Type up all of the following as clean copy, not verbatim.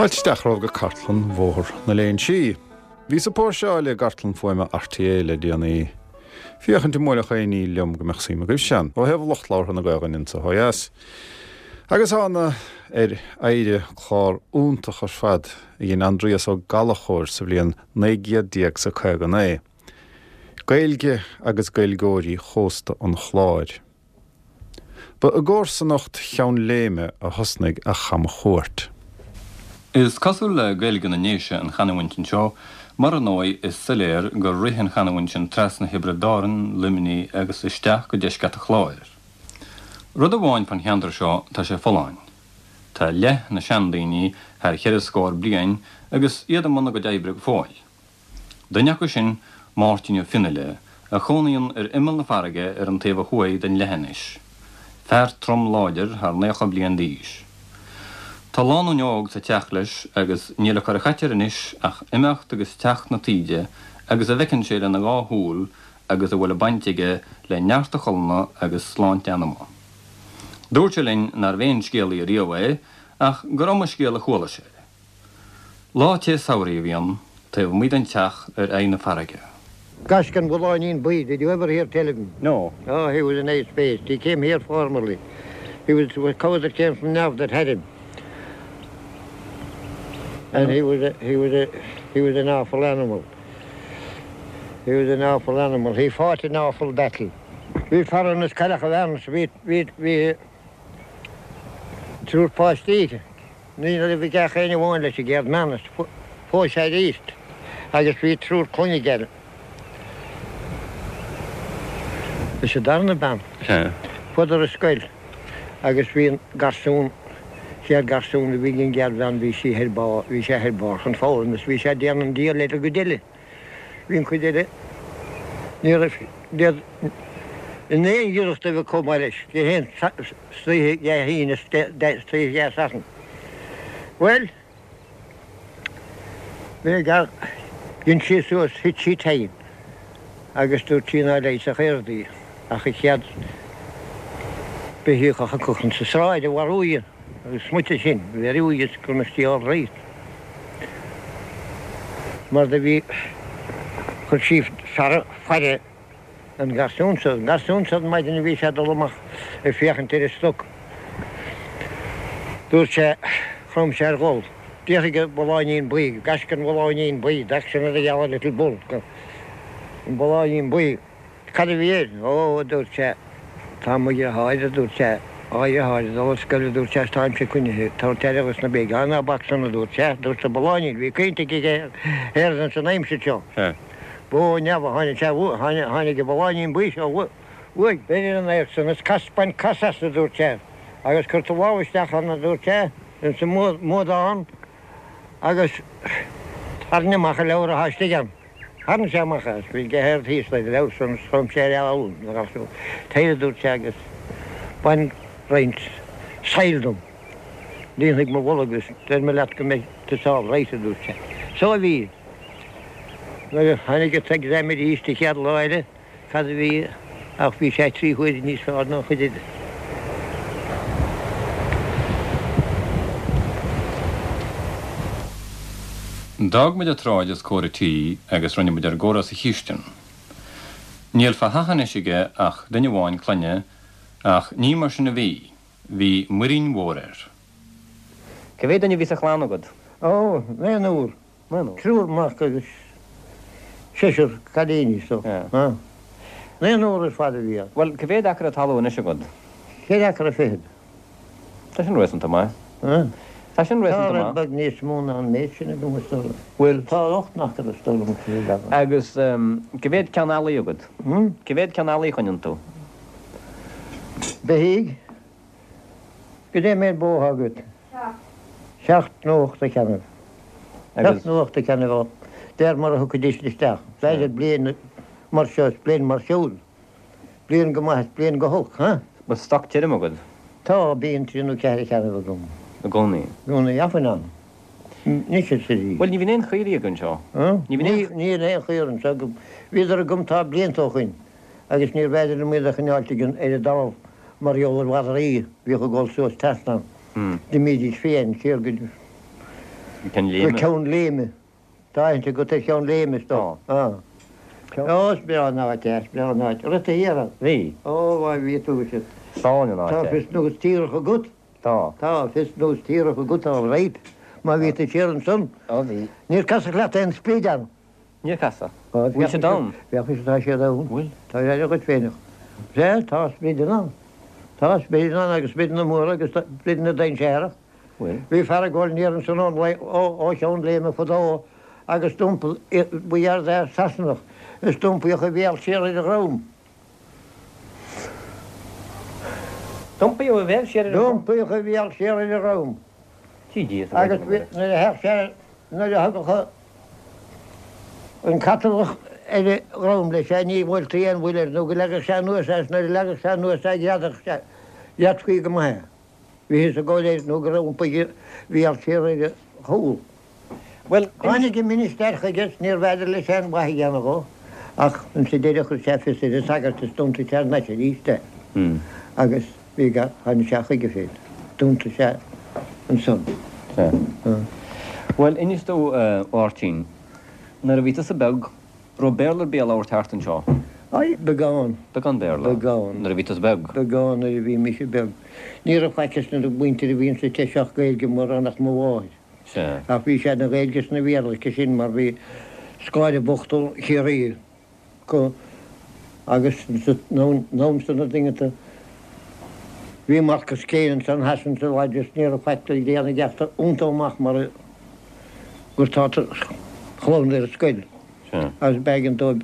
Fáilte isteach romhaibh go cartlann Bhóthar na Léinsí. Bhíos ag póirseáil i gcartlann fuaime RTÉ le déanaí, féachaint an mbuailfeadh aon ní liom go mbeadh suim agaibhsean, ó thaobh lucht labhartha na Gaelainne anso ó dheas. Agus thána ar oidhre clár iontach ar fad a dhein Aindrias Ó Gallchóir sa bhliain 1959. Gaeilge agus Gaeilgeoirí Chósta an Chláir. Ba i gcomharsanacht Cheann Léime a thosnaigh a chamchuairt. Is cosúil le Gaeilge na nDéise an chanúint anseo, mar ar ndóigh is soiléir gur rith an chanúint sin trasna Thiobraid Árann, Luimnigh agus isteach go deisceart an Chláir. Rud amháin fán cheantar seo, tá sé folláin. Tá leath na seandaoine thar cheithre scór bliain agus iad i mbun a gcuid oibre go fóill. Duine acu sin, Máirtín Ó Fionnaile, a chónaíonn ar imeall na farraige ar an taobh ó thuaidh den leithinis. Fear trom láidir thar 90 bliain d'aois. Tá lánúin óg sa teach leis agus níl ag cur a chait air anois ach imeacht agus teacht na taoide agus a bhfeiceann sé lena dhá shúil agus a bhfuil bainte aige le neart a cholainne agus sláinte anama. Dúirt sé linn nárbh aon scéalaí ariamh é ach gur iomaí scéal a chuala sé. Lá te samhraidh a bhí ann, taobh amuigh den teach ar aghaidh na farraige. Gaisce an Bhulláinín Buí, did you ever hear tell of him? No. Oh, he was a nice beast. He came here formerly. He was a cow that came from Neamh that had him. And he was a, he was a, he was an awful animal. He was an awful animal. He fought an awful battle. Bhí fear ann as Cailleach a Bhearna, bhí, bhí, bhí triúr páistí aici. Ní raibh ag ach aon amháin leis an gcéad mbean is phós sé arís agus bhí triúr clainne aige leis an darna bean. Chuadar ar scoil agus bhí an garsún, chéad garsún a bhí ag an gcéad bhean bhí sí ar barr, bhí sé ar barr chun foghlaim is bhí sé ag déanamh an diabhal ar an gcuid eile. Bhí an chuid eile, ní raibh siad in aon ghiorracht a bheith chomh maith leis, Dé haon istoíche Dé hAoine is istoíche Dé Sathairn. Bhuel, bhí gar, dhein sí suas, thit sí tinn agus dúirt sí ná leigheasfadh aon rud í ach an chéad beithíoch a thiocfadh insa sráid a mharú í. Agus smuit sin, bheir is go must be all right. Mar do bhí, chuir sí fear faire an garsún so, an garsún so an maidin a bhí sé ag dul amach ag féachaint ar an stoc. Dúirt sé, chrom sé ar dhul. D'fhiafraigh an Bulláinín Buí, Gaisce an Bhulláinín Buí, the action of the yellow little bull, an Bulláinín Buí. Cad a bhí air? Ó, a dúirt sé, tá mo dheartháir, a dúirt sé, á dheartháir ag dul ar scoil, a dúirt sé, is táimse coinnithe ag tabhairt aire dos na béithígh. Á, ná bac san, a dúirt sé, dúirt an Bulláinín, bhí caointe aige ar ins an aimsir seo. Bó ó neamh a tháinig sé, tháinig an Bulláinín Buí seo uaidh. Beir ar an adharc san is cas, bain cas as, a dúirt sé, agus cuir do lámh isteach ann, a dúirt sé, ins an mbuadán agus tarraing amach an leabhar atá istigh ann. Tharraing sé amach as, bhí deich air thíos le leabhar san is chrom sé ar fhoghlaim na garsún. Tar, a dúirt sé, agus bain roinnt saill dom. Líonfaidh mo bholg is deir mé leat go mbeidh tusa all right, a dúirt sé. So a bhí. Nuair a tháinig an t-exam arís an chéad lá eile, Cad a bhí ach bhí sé trí huaire níos fearr ná an chuid eile. D'fhág muid an tsráid os comhair an tí agus rinne muid ár gcomhrá sa chistin. Níl fá theach anois aige ach duine amháin clainne ach ní mar sin a bhí, bhí muirín mhór air. Cá mhéad duine a bhí sa chlann agat? Ó, naonúr. Triúr mac agus seisear cailíní so. Naonúr ar fad a bhí ann. Bhuel, cá mhéad acra talún anois agat? Ceithre acra fichead. Tá sin réasúnta maith. Tá sin réasúnta maith. Tá rud beag níos mó ná an méid sin agam is dóigh liom. Bhuel, tá ocht n-acra is dóigh liom sa bheagán. Agus cá mhéad ceann eallaigh agat? Cá mhéad ceann eallaigh a choinníonn tú? Beithígh. Goidé an méid bó atá agat? Seacht. Seacht nó ocht de cheannaibh. Seacht nó ocht de cheannaibh de réir mar a thiocfaidís isteach. B'fhéidir bliain. mar seo is bliain mar siúd. Bliain go maith is bliain go holc, huh? Bhfuil stoc tirim agat? Tá, bíonn trí nó ceathair cheann agam. I gcónaí? I gcónaí, often ann. Anois is arís. Bhuel, ní bhíonn aon chaoirigh agaibh anseo. Ní bhíonn aon. Níl aon chaora anseo agam. Bhíodar agam tá blianta ó shoin agus níorbh fhéidir liom iad a choinneáilt ag an, ar an dtalamh mar gheall ar mhadraí a bhíodh ag dul suas trasna. D'imídís fiáin siar go Ceann Léime. Go Ceann Léime. Tá aithne agat ar Cheann Léime, is dóigh. Tá. Ó, is breá an áit é, is breá an áit. Raibh tú thiar ann? Bhí. Ó, bhuel, bhí tú, is. Is álainn an áit é. Tá fios nós tíreach agat? Tá. Tá fios nós tíreach agat, all right. Má bhí tú siar ansan. Ó, bhí. Níor casadh leat aon sprid ann? Níor casadh. Bhfuil siad ann? Bheadh fhios tá siad ann. Bhfuil? Tá aire dhuit féineach. Sea, tá sprideanna ann. Tá sprideanna ann agus sprideanna móra agus sprideanna dainséarach. Bhfuil? Bhí fear ag gabháil aniar ansan ó Cheann Léime fadó agus d'iompaigh, ba dheartháir Sasanach, is d'iompaíodh a bhéal siar ar a dhroim. D'iompaíodh a bhéal siar ar a dhroim? D'iompaíodh a bhéal siar ar a dhroim. Agus nuair a theacht sé, nuair a thagadh an catalach ar a dhroim leis é, ní bhuailtí aon bhuille air nó go leagadh sé anuas é, is nuair a leagadh sé anuas é, ghreadadh sé, ghreadfaí go maith é. Bhíothas ag gabháil air nó go raibh iompaithe a bhéal siar ar a chúl. Bhuel, Tháinig an ministear chuige is níorbh fhéidir leis aon mhaith a dhéanamh dhó, ach insa deireadh chuir sé fios ar an sagart is d'iontaigh sé thar n-ais arís é. Agus bhí gar, tháinig sé chuige féin. D'iontaigh sé ansan. Sea. Bhuel, inis domh, a Mháirtín, nuair a bhí tusa beag, Raibh Béarla ar bith á labhairt thart anseo? Aye, beagán. Beagán Béarla? Beagán. Nuair a bhí tusa beag? Beagán nuair a bhí mise beag. Ní raibh faic ag na muintir a bhí insa teach seo ach Gaeilge mórán ach mo mháthair. Sea. Ach bhí sé ina Ghaeilge is ina Bhéarla aici sin mar bhí scoláire bocht ó Chiarraí acu agus in am san na dinganta bhí Marcus Kane ansan theas insa lodge is ní raibh faic le déanamh aige ach iontú amach mar gur tá chlann ar an scoil agus b'éigean dóibh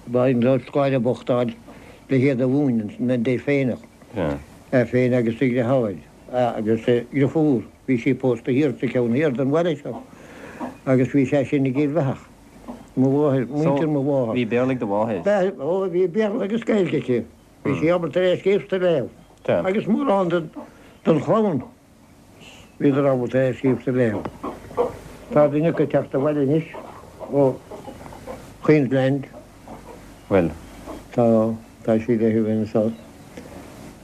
b'éigean dóibh scoláire bocht a fháil le hiad a mhúineadh an deirféineach, é féin agus a dheartháir agus a dhriofúr, bhí sí pósta thiar sa cheann thiar den bhaile seo agus bhí sé sin i gCill Bheathach, mo mháthair, muintir mo mháthar. Bhí Béarla ag do mháthair? Ó bhí Béarla agus Gaeilge aici, bhí sí ábalta é a scríobh 's a léamh agus mórán den chlann. Bhíodar ábalta é a scríobh 's a léamh. Tá duine acu ag teacht abhaile anois ó Queensland. Bhfuil? Tá, tá sí le bheith anseo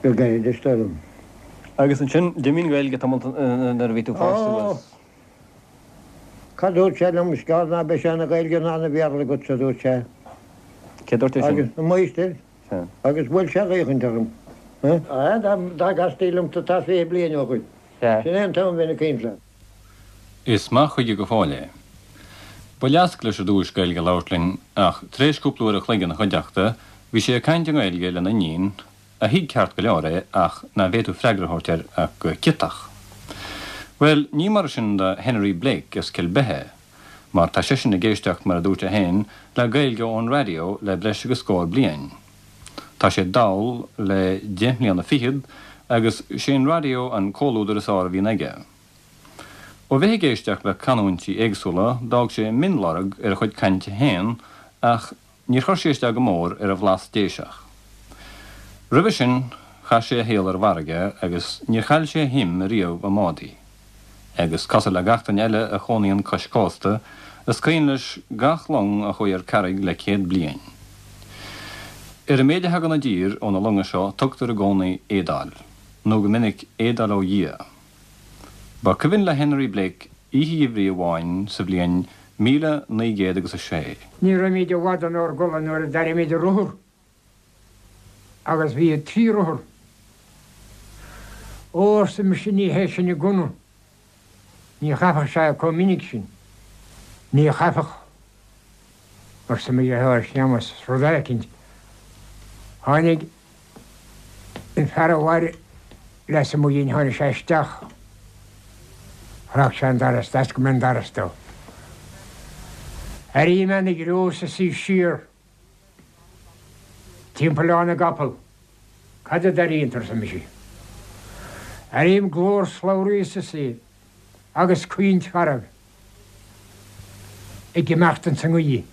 go gairid is dóigh liom. Agus ansin, d'imigh an Ghaeilge tamall nuair a bhí tú fásta suas? Cad dúirt sé liom, is gearr ná beidh sé ina Ghaeilge ná ina Bhéarla agatsa, a dúirt sé. Cé dúirt é sin? Agus an máistir. Agus bhuail sé gaothchaint orm. Dá gcastaí liomsa tá 20 bliain ó shoin. Sin é an t-am a bheinn ag caint leat. Is maith chuige go fóill é. Ba leasc leis ar dtúis Gaeilge a labhairt linn ach tar éis cúpla uair a chloig ina chuideachta bhí sé ag caint i nGaeilge lena iníon, a thuig ceart go leor é ach ná bhféadfadh freagra a thabhairt air ach go ciotach. Bhuel, ní mar sin do Henry Blake as Cill Beithe. mar tá seisean ag éisteacht, mar a dúirt sé féin, le Gaeilge ón raidió le breis agus scór bliain. Tá sé dall le deich mbliana fichead agus sé an raidió an comhluadar is fhearr a bhíonn aige. Ó bheith ag éisteacht le canúintí éagsúla d'fhág sé mionlorg ar a chuid cainte féin ach Níor chuir sé isteach go mór ar a bhlas Déiseach. Roimhe sin chaith sé a shaol ar an bhfarraige agus níor chaill sé a shuim ariamh i mbádaí. Agus cosúil le gach duine eile a chónaíonn cois cósta, is cuimhin leis gach long a chuaigh ar carraig le 100 bliain. Ar an méid a thagann i dtír ó na longa seo tugtar i gcónaí éadáil, nó go minic éadáil ó Dhia. Ba cuimhin le Henry Blake oíche gheimhridh amháin sa bhliain 1906. Ní raibhimid i bhfad ónár gcodladh nuair a d'airímid rothar agus bhí trí rothar. Ó, arsa mise, ní hé sin an gunna. Ní chaithfeadh sé chomh minic sin. Ní chaithfeadh. arsa mo dheartháir Séamus, rud éicint. Tháinig an fear a mhair lasmuigh dhínn, tháinig sé isteach. Chroch sé an doras, d'oscail mé an doras dó. Airím ana ghriús ag suí siar timpeall na gcapall. Cad a d'airíonn tú, arsa mise. Airím glór slabhraí sa suí agus caoint fearg. ag imeacht ins an ngaoith.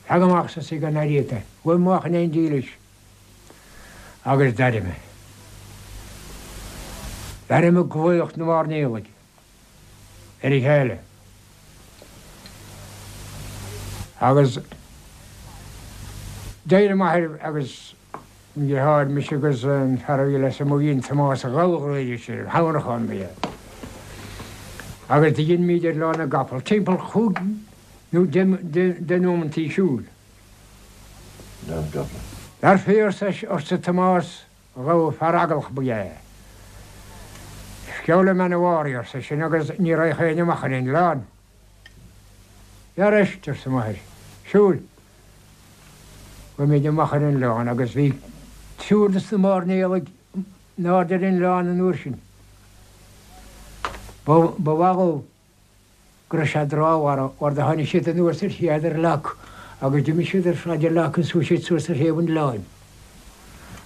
Teag amach arsa sí go n-airíodh é. Gabh amach in éindí leis. Agus d'airigh mé. D'airigh mé glaoch na mairnéalaigh ar a chéile. Agus d'éirigh m'athair agus mo dheartháir, mise agus an fear a bhí leis amuigh, bhí an Tomás a ghabhadh sé, Hamhrachán ba ea. Agus do dheinimíd ar Oileán na gCapall, timpeall chúig nó deich nóimeantaí siúil. Dar fia arsa Tomás Ghabha, fear eaglach ba ea é. Sceul i mbean a Mháirí, arsa eisean, agus ní raghadh éinne amach ar an oileán. Dhera éist, arsa m'athair. Siúil. Chuaigh amach ar an oileán agus bhí triúr de na mairnéalaigh in airde ar an oileán an uair sin. Ba mhaith dhóibh go raibh sé drámhar mar do tháinig siad anuas ar Shéadar Leac agus d'imigh siad ar Shráid Leac agus chuaigh siad suas ar thaobh an oileáin.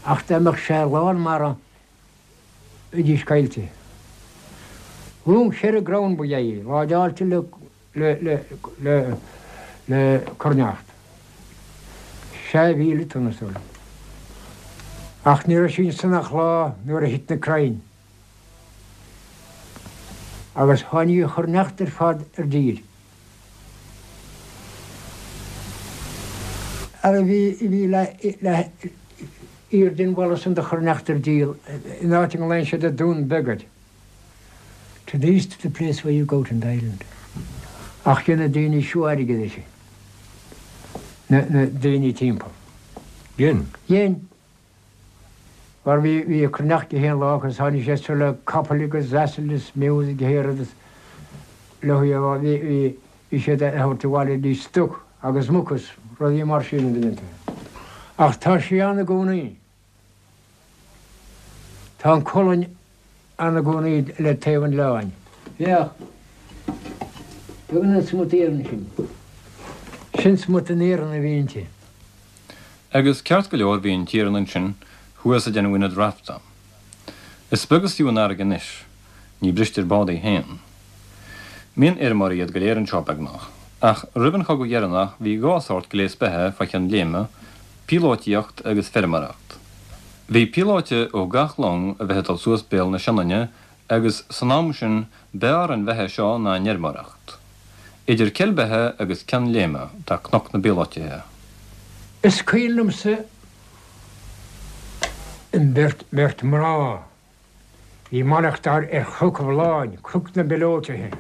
Ach dá mbeadh sé lán mara bheidís caillte. Long cheithre gcrann ba ea í, láideáilte le le cruithneacht. 6,000 tonna is dóigh liom. Ach ní raibh sí ansan ach lá nuair a thit na crainn. Agus tháinig an chruithneacht ar fad ar dtír. Ara bhí bhí le le iar den bhalla san de chruithneacht ar díol in áit a nglaonn siad an Dún Beag air. To the east of the place where you go to the island. Ach dhein na daoine seo airgead uirthi. Na na daoine timpeall. Dhein? Dhein. Mar bhí bhí cruithneacht gach aon lá agus tháinig siad seo le capaill agus asail is mules agus gach aon rud is leo bhí bhí bhí siad a thabhairt abhaile dtí stoc agus muca is rudaí mar sin a dhéanta. Ach tá sí ann i gcónaí. Tá an colainn ann i gcónaí le taobh an oileáin. Féach. Tugann an smut iarainn sin. Sin smut an iarainn a bhí inti. Agus ceart go leor bhí an t-iarann ansin thuas ag déanamh ionad rafta. Is beag is fiú an fharraige anois. Ní bristear bád í féin. Mionfheirmeoirí iad go léir anseo, beagnach. Ach roimh an chogadh dheireanach bhí dhá shórt gléas beatha fá chionn léime, píolótaíocht agus feirmeoireacht. Bhí píolóite ó gach long a bheith ag dul suas béal na Sionainne agus san am sin b'fhearr an bheatha seo ná an fheirmeoireacht. Idir Cill Beithe agus Cionn Léime tá Cnoc na bPíolóitithe. Is cuimhin liomsa an bheirt bheirt mná Bhí ag maireachtáil ar Chnoc an Bholláin, Cnoc na bPiolótithe.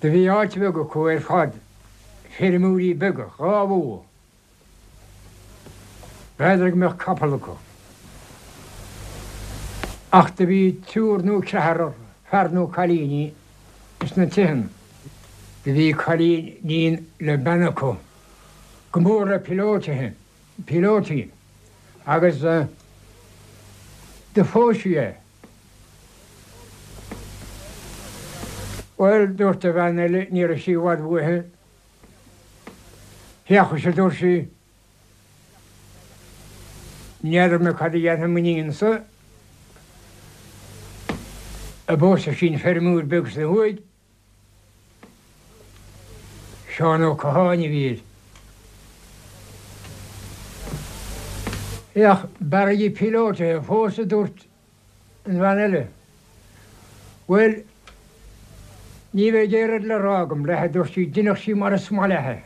Do bhí áit bheag acu ar fad, feirmeoirí beaga, dhá bhó. B'fhéidir go mbeadh capall acu. Ach do bhí triúr nó ceathrar fear nó cailíní ins na tithe. Do bhí cailínín le bean acu, go mór le piolótithe. píolótaí agus do phós sí é. Bhuel, dúirt a bhean eile, ní raibh sí i bhfad uaithi, féach, a dúirt sí, n'fheadar mé cad a dhéanfaidh m'iníon-sa, a bpósfaidh sí an feirmeoir beag san thuaidh. Seán Ó Catháin a bhí air. Féach, b'fhearr di píolótaithe a phósadh, a dúirt an bhean eile. Bhuel, ní bheidh aon rud le rá agam léi, a dúirt sí, deineadh sí mar is maith léi.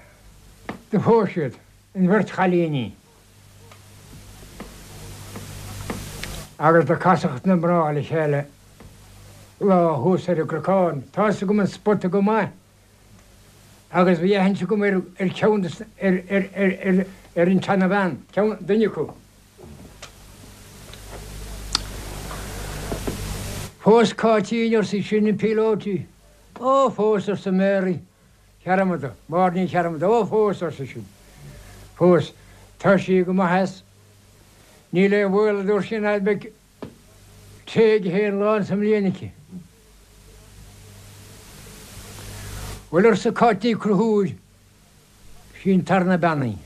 Do phós siad, an bheirt chailíní. Agus do casadh na mná le chéile lá thuas ar an gcnocán. Tá fhios agam an spota go maith agus bhí aithint agam ar ar cheann de ar ar ar ar ar an tseana-bhean, ceann, duine acu. Phós Cáitín, arsa sin, an píolótaí. Ó, phós, arsa Mary Chearmada, Máire Ní Chearmada. Ó, phós, arsa sin. Phós. Tá sí go maith as. Níl aon bhaol, a dúirt sí, ná beidh tae gach aon lá insa mbliain aici. Bhuel, arsa Cáit Ní Chonchúir, sí an tarna bean í.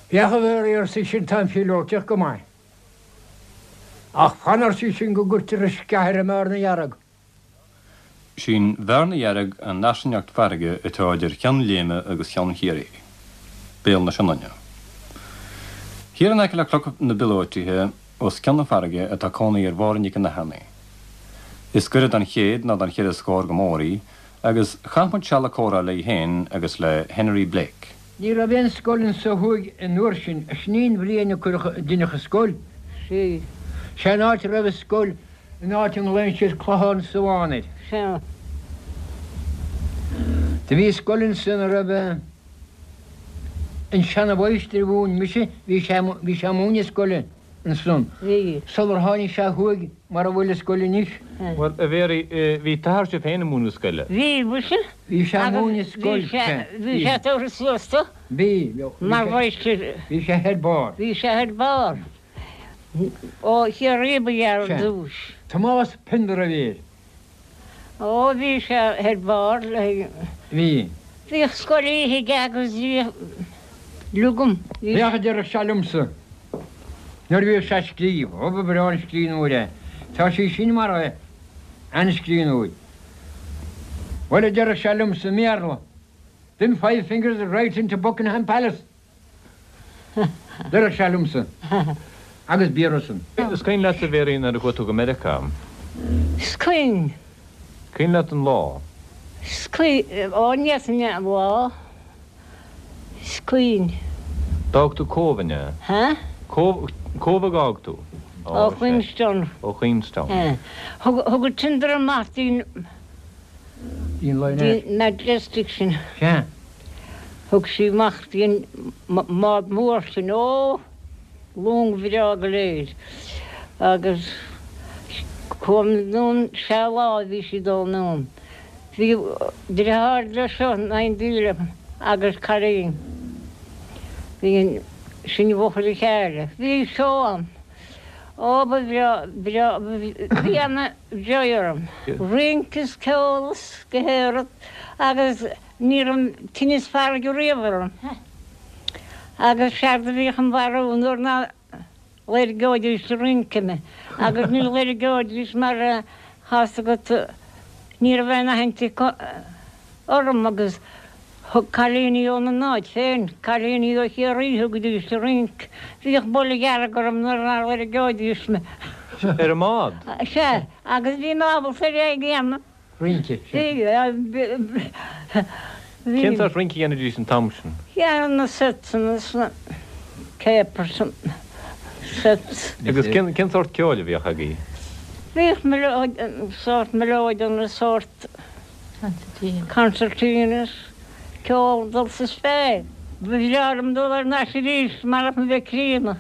Féach a Mhary, arsa sin, tá an phíolótaíocht go maith. Ach fan, arsa sin, go gcuirtear an sceach ar an mbearna dhearg. Sí'n bhearna dhearg an fhairsingeacht farraige atá idir Cheann Léime agus Ceann Chiarraí, Béal na Sionainne. Thiar in aice le Cnoc na bPiolóitithe, os cionn na farraige, atá cónaí ar Mháire Nic an Athirne. Is gaire don chéad ná don cheithre scór go mór í, agus chaith muid seal ag comhrá léi féin agus le Henry Blake. Ní raibh aon scoil anso thuaidh an uair sin, sin í an bhliain a cuireadh deineadh an scoil. Sea. Sé an áit a raibh an scoil an áit a nglaonn siad Clochán Sabhán air. Sea. Do bhí scoil ansan a raibh an seana-mháistir a mhúin mise, bhí sé, bhí sé ag múineadh scoile ansan. Bhí. Sular tháinig sé thuaidh mar a bhfuil an scoil anois. Bhuel, a Mhéaraí, bhí t'athair sibh féin ag múineadh scoile? Bhí, mhuise. Bhí sé ag múineadh scoil, sea. Bhí sé tabhartha suas do. Bhí. Mar mháistir. Bhí sé ar barr. Bhí sé ar barr. Ó Chiarraí ba ea ar dtús. Tomás Pender a bhí air. Ó bhí sé ar barr le. Bhí. Bhíodh scoil oíche aige agus bhíodh liugam. Féach a deireadh sé liomsa nuair a bhíodh sé ag scríobh, ó ba bhreá an scríbhneoir é. Tá sí sin mar é, an-scríbhneoir. Bhuel a deireadh sé liomsa i mBéarla, them five fingers right into Buckingham Palace. Deireadh sé liomsa agus b'fhíor san. Is cuimhin leat a Mhéaraí nuair a chuaigh tú go Meiriceá? Is cuimhin. Cuimhin leat an lá? Is cuimhin, ó ní fhéadfainn an lá. Is cuimhin. D'fhág tú Cóbh, an ea? Ha? Cóbh, Cóbh a d'fhág tú? Ó Queenstown. Ó Queenstown. Thug, thug an tender amach dtí'n. Dtí'n Majestic sin. Sea. Thug sí amach dtí an mbád mór sin, ó, long bhreá go léir, agus chuaigh anonn sé lá a bhí sí ag dul anonn. Bhí deartháir leis seo in éindí liom agus cailín. Bhí sinn i bhfochair a chéile. Bhí seó ann. Ó, ba bhreá, breá, bhí ana joy orm. Rince is ceol is go héiread agus Ní raibh tinneas farraige riamh orm agus séard a bhíodh im mharú nuair ná loirgeoidís ag rince mé agus ní loirgeoidís mar tá's agat ní raibh aon aithint acu orm agus thug cailíní óna n-áit féin, cailíní ó Chiarraí thugaidís ag rince, bhíodh buile dhearg orm nuair ná loirgeoidís mé. Ar an mbád? Sea, agus bhí mé ábalta ar é a dhéanamh. rince. Cén sórt rince a dhéanaidís an t-am sin? Dhéanadh na setsanna is na capers an sets. Agus cén sórt ceoil a bhíodh agaibh? Bhíodh sórt mileoidean sórt concertinas, ceol dul sa spéir. Ba bhreá liom dul thar n-ais arís marach mé bheith críonna.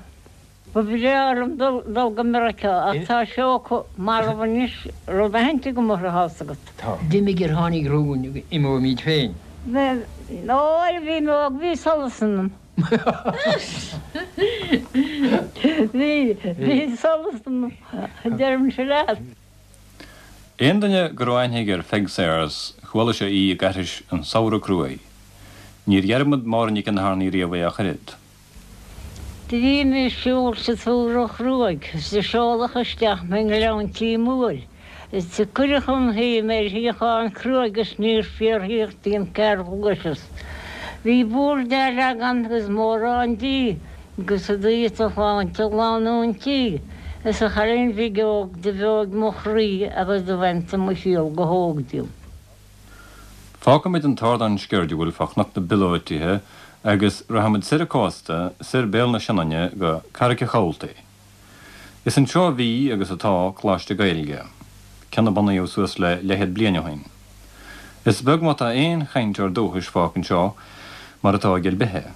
Ba bhreá liom dul go Meiriceá ach tá seó acu marbh anois, raibh aithint agam orthu, tá's agat. Tá. D'imigh ar tháinig romhainn, imeoimid féin. Bhuel, nuair a bhí mé óg bhí solas ionam. Bhí, bhí solas ionam, deirimse leat. Aon duine go raibh aithne aige ar Pheig Sayers, chuala sé í ag aithris An Samhradh Cruaidh. Níor dhearmad Máire Nic an Athirne riamh é ach oiread. Do bhí mé ag siúl sa tsamhradh chruaidh is do seoladh isteach mé i nGleann Tí Mhóir is do cuireadh chun shuí mé ar shuíochán cruaidh is níor fiafraíodh díom cár ghluaiseas. Bhí bord á leagan agus mórán dí agus i dtaobh do shláinte lánúin tí is a chailín bhig óg do bheoigh mo chroí agus do bhain tú mo chiall go hóg díom. Fágfaimid an t-ardán sceirdiúil fá Chnoc na bPiolóitithe agus rachaimid soir an cósta, soir béal na Sionainne go Carraig a' Chabhaltaigh. Is anseo a bhí agus atá Coláiste Gaeilge, ceann a bunaíodh suas le leathchéad bliain ó shin. Is beag má tá aon chainteoir dúchais fágtha anseo, mar atá i gCill Beithe.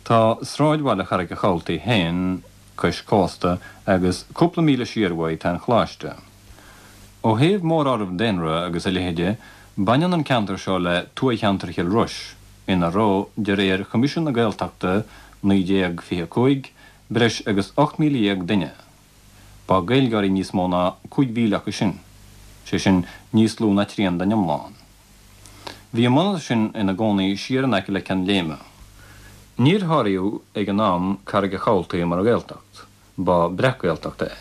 Tá sráidbhaile Charraig a' Chabhaltaigh féin cois cósta agus cúpla míle siar uaidh tá an Choláiste. Ó thaobh móráireamh daonra agus a leithéide, baineann an ceantar seo le tuathcheantar Chill Rois, ina raibh, de réir Choimisiún na Gaeltachta 1925, breis agus 18,000 duine. Ba Gaeilgeoirí níos mó ná 5,000 acu sin, sé sin, níos lú ná trian den iomlán. Bhí an mbunadh sin ina gcónaí siar in aice le Ceann Léime. Níor háiríodh ag an am Carraig a' Chabhaltaigh mar Ghaeltacht. Ba breac-Ghaeltacht é.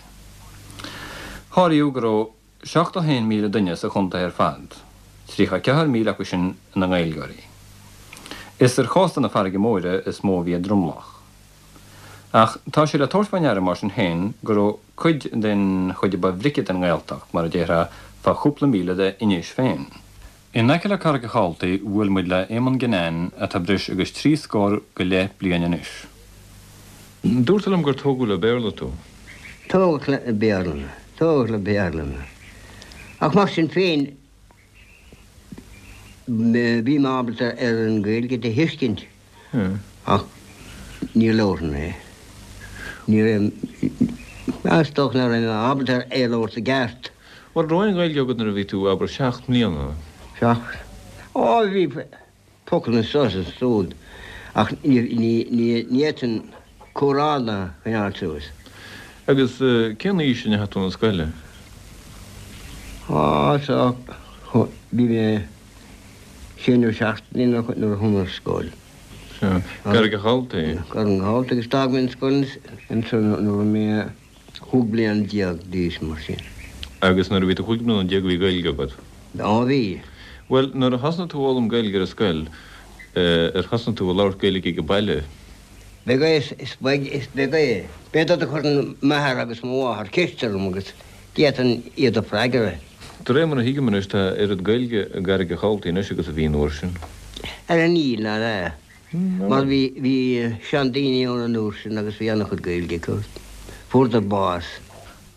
Háiríodh go raibh. 71,000 duine sa chontae ar fad, 34,000 acu sin ina nGaeilgeoirí. Is ar chósta na farraige móire is mó a bhí a dtromlach. Ach tá sé le tabhairt fá ndeara mar sin féin go raibh cuid den chuid a ba bhrice den nGaeltacht, mar a déarfá, fá chúpla míle d'Inis féin. In aice le Carraig a' Chaltaigh bhuail muid le Éamonn Ginnane atá breis agus trí scór go leith bliain anois. Dúirt tú liom gur tógadh le Béarla tú. Tógadh le Béarla mé. Tógadh le Béarla mé. Ach mar sin féin, bhí mé ábalta ar an Ghaeilge do thuiscint ach ní labharfainn é. Ní raibh, is dócha nach raibh mé ábalta ar é a labhairt i gceart. Bhuel, raibh aon Ghaeilge agat nuair a bhí tú, abair, seacht mbliana? Seacht? Ó, bhí focal anso is ansúd ach ní fhéadfainn comhrá a choinneáil suas. Agus cén aois a ndeachaigh tú 'na scoile? Á, so, bhí mé sé nó seacht mbliana nuair a chuaigh mé ar scoil. Sea. Carraig a' Chaltaigh? Carraig a' Chaltaigh agus d'fhág mé an scoil ansan nuair a bhí mé 15 bliana d'aois, mar sin. Agus nuair a bhí tú 15 bliana bhí Gaeilge agat? Á, bhí. Bhuel, nuair a thosnaigh tú a fhoghlaim Gaeilge ar an scoil, ar thosnaigh tú a labhairt Gaeilge ag an baile? Beag é, is beag, is beag é. B'fhéidir do chuireann m'athair agus mo mháthair ceist orm agus d'fhéadfainn iad a freagra. De réir mar a thuigim anois, tá oiread Gaeilge i gCarraig a' Chaltaigh anois agus a bhí an uair sin. Ara níl, ná ea. Mar bhí, bhí seandaoine ann an uair sin agus bhí an-chuid Gaeilge acu. Fuaireadar bás.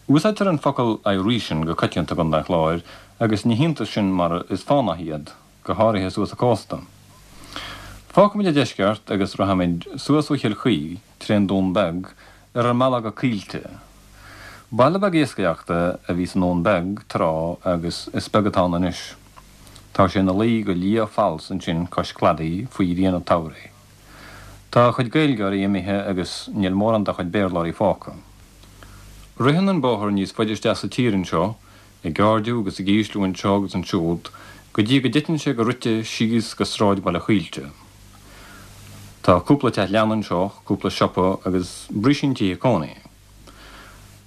Úsáidtear an focal 'Irísean' go coitianta i gContae an Chláir agus ní hiontas sin mar is fánach iad, go háirithe suas an cósta. Fágfaimid an deisceart agus rachaimid suas ó Chill Chaoi trén Dún Beag ar ár mbealach go Coillte. Baile beag iascaireachta a bhí sa nDún Beag tráth agus is beag atá ann anois. Tá sé ina luí go liath falsa ansin cois cladaigh faoi ghrian an tsamhraidh. Tá a chuid Gaeilgeoirí imithe agus níl mórán dá chuid Béarlóirí fágtha. Ritheann an bóthar níos faide isteach sa tír anseo, ag airdiú agus ag ísliú anseo agus ansiúd go dtí go dtiteann sé go rite síos go sráidbhaile Choillte. Tá cúpla teach leanna anseo, cúpla siopa agus brísín tithe cónaí.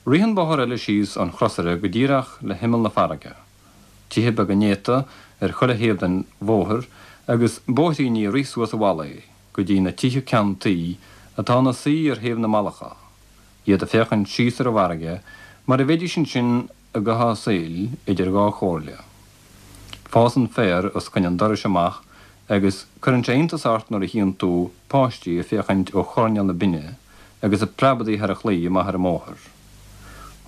Ritheann bóthar eile síos ón chrosaire go díreach le himeall na farraige. Tithe beaga néata ar chuile thaobh den bhóthar agus bóithríní ag rith suas an mhullaigh go dtí na tithe ceann tuí atá ina suí ar thaobh na mballacha, iad ag féachaint síos ar an bhfarraige mar a bheidís ansin i gcaitheamh a saoil idir dhá chomhairle. Fásann féar os coinne an dorais amach agus cuireann sé iontas ort nuair a chíonn tú páistí ag féachaint ó choirnéal na binne agus ag preabadaigh thar an chlaí amach ar an mbóthar.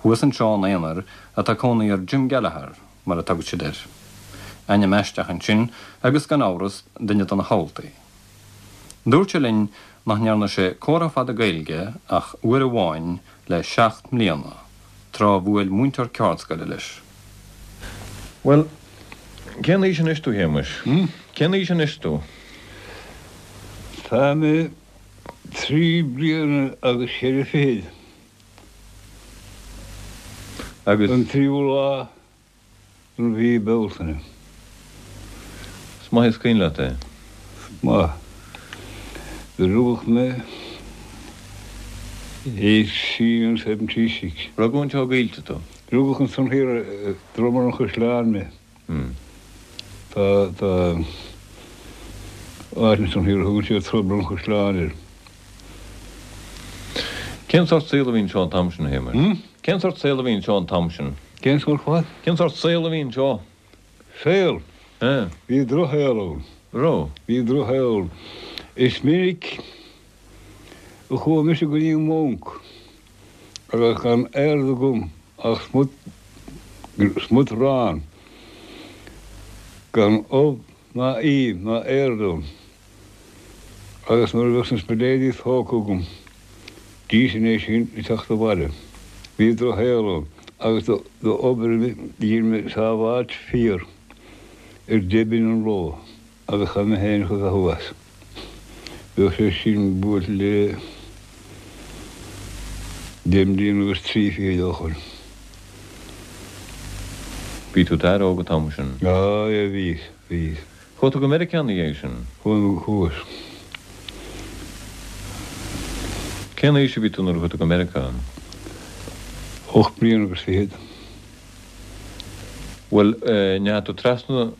Thuas anseo in aonar atá cónaí ar Jim Gallagher, mar a tugann siad air. Ainm aisteach ansin agus gan amhras duine de na hUltaigh. Dúirt sé linn nach ndearna sé comhrá fada Gaeilge ach uair amháin le seacht mbliana, tráth a bhuail múinteoir ceardscoile leis. Bhuel, cén aois anois tú, Shéamuis? Cén aois anois tú? Tá mé trí bliana agus ceithre fichid. Agus. An tríú lá den mhí Bealtaine. Is maith is cuimhin leat é. Is maith. Do rugadh mé 1876. Rugadh anseo i gCoillte tú? Rugadh ansan thiar i Dromar an Chaisleáin mé. Tá, tá áit ansan thiar a thugann siad Dromar an Chaisleáin air. Cén sórt saol a bhí anseo an t-am sin, a Shéamuis? Cén sórt saol a bhí anseo an t-am sin? Cén sórt what? Cén sórt saol a bhí anseo? Saol? Eh. Bhí drochshaol ann. Raibh? Bhí drochshaol ann. Is minic a chuaigh mise go dtí an mbanc agus gan aird agam ach smut, smut aráin, gan ubh ná im ná aird ann. Agus nuair a bheadh na smiléidí tógtha agam, d'íosfainn é sin ag teacht abhaile. Bhí drochshaol ann agus d'obair mé, dhein mé sábháilt fíor ar deich bpingin an ló agus chaith mé féin a bheathú as. Bheadh sé sin buailte le deich mbliana agus trí fichid ó shoin. Bhí tú d'fhear óg an t-am sin. Á, bhíos, bhíos. Chuaigh tú go Meiriceá ina dhiaidh sin? Chuaigh, chuas. Cén aois a bhí tú nuair a chuaigh tú go Meiriceá? Ocht mbliana agus fichead. Bhuel, ndeachaigh tú trasna,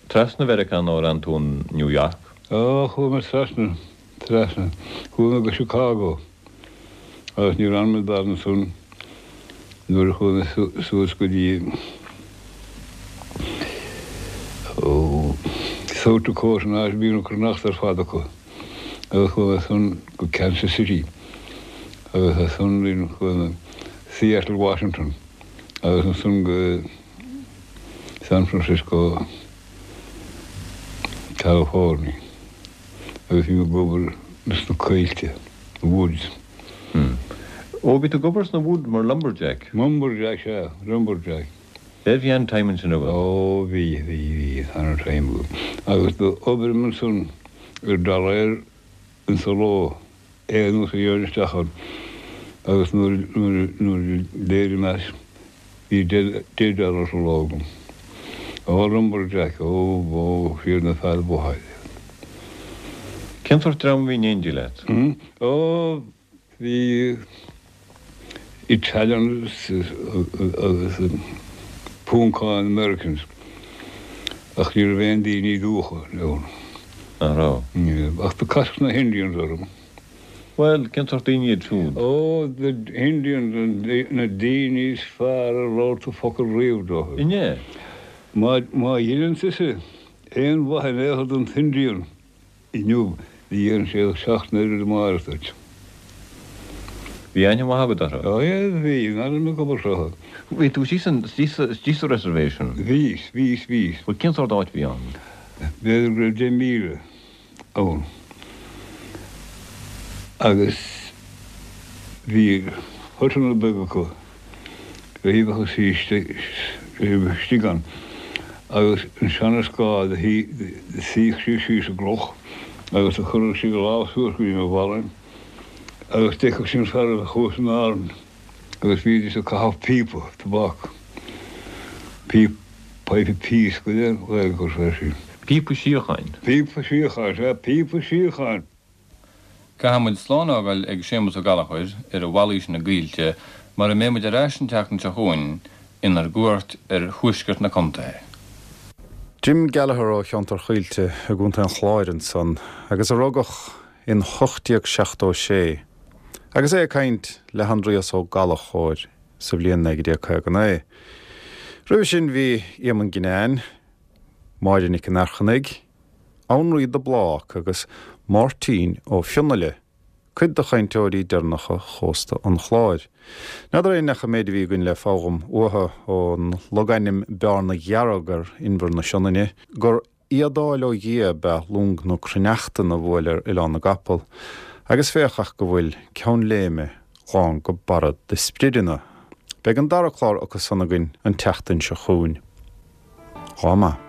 trasna Mheiriceá nó ar fhan tú in New York? Ó, chuaigh mé trasna, trasna. Chuaigh mé go Chicago agus níor fhan mé i bhfad ansan nuair a chuaigh mé suas go dtí, ó, South Dakota an áit a bhíonn na cneachta ar fad acu agus chuaigh mé ansan go Kansas City agus as san chuaigh mé Seattle, Washington. Agus ansan go San Francisco, California agus bhí mé ag obair sna coillte, the woods. Ó, bhí tú ag obair sna woods mar lumberjack? Lumberjack, sea, lumberjack. Bhí bhí an-time ansin agat? Ó, bhí, bhí, bhí an-time agam. Agus d'oibrigh mé ansan ar dollar insa ló. Aon uair a gheobhainn isteach ann agus nuair a d'éirigh mé as bhí deich dollar sa ló agam. Ó lumberjack, ó, ó, siad na fear ba mhaithe iad. Cén sórt dream a bhí in éindí leat? Ó, bhí Italians agus Púncáin Americans ach ní raibh aon daoine dubha ann. Nach raibh? Ní raibh. Ach do casadh na hIndians orm. Bhuel, cén sórt daoine iad siúd? Ó, the Indians, na daoine is fearr ar labhair tú focal riamh dóibh. An ea? Má, má dheineann tusa aon mhaith in aon chor don t-Indian, Inniu, ní dhéanfaidh sé ach seacht n-oiread amárach duit. Bhí aithne mhaith agat orthu? Ó yeah, bhí, mar bhí mé ag obair orthu. Bhí tú istigh san, istigh sa reservation? Bhíos, bhíos, bhíos. Bhuel, cén sórt áit a bhí ann? B'fhéidir go raibh 10,000 ann. Agus bhí hutanna beaga acu. Bhí sí istigh ann agus ansan is gá do shuíodh sí síos i gcloch agus do chuireadh sí a lámh suas go dtí na bhalainn agus d'fheicfeadh sí an fear a chuas in Árainn agus bhídís ag caitheamh píopa tobac, píopa, pipe of peace go dtí an Ghaeilge acu air sin. Píopa síocháin. Píopa síocháin, sea, píopa síocháin. Caithfidh muid slán a fhágáil ag Séamus Ó Gallchóir ar a mhalaí sin i gCoillte mar a mbeidh muid ar ais an tseachtain seo chugainn inár gcuairt ar thuaisceart na contae. Jim Gallagher ó cheantar Choillte i gContae an Chláir ansan agus a rugadh in 1876 agus é ag caint le hAindrias Ó Gallchóir sa bhliain 1959. Roimhe sin bhí Éamonn Guinane, Máire Nic an Airchinnigh, Annraoi de Blác agus Máirtín Ó Fionnaile, cuid de chainteoirí deireanacha chósta an Chláir. N'fheadar aon neach an méid a bhí againn le foghlaim uathu, ón logainm Bearna Dhearg ar Inbhear na Sionainne, gur éadáil ó Dhia ab ea long na cruithneachtan a bhuail ar Oileán na gCapall, agus féach ach go bhfuil Ceann Léime lán go barra de sprideanna. Beidh an dara clár acu san againn an tseachtain seo chugainn. Lá maith.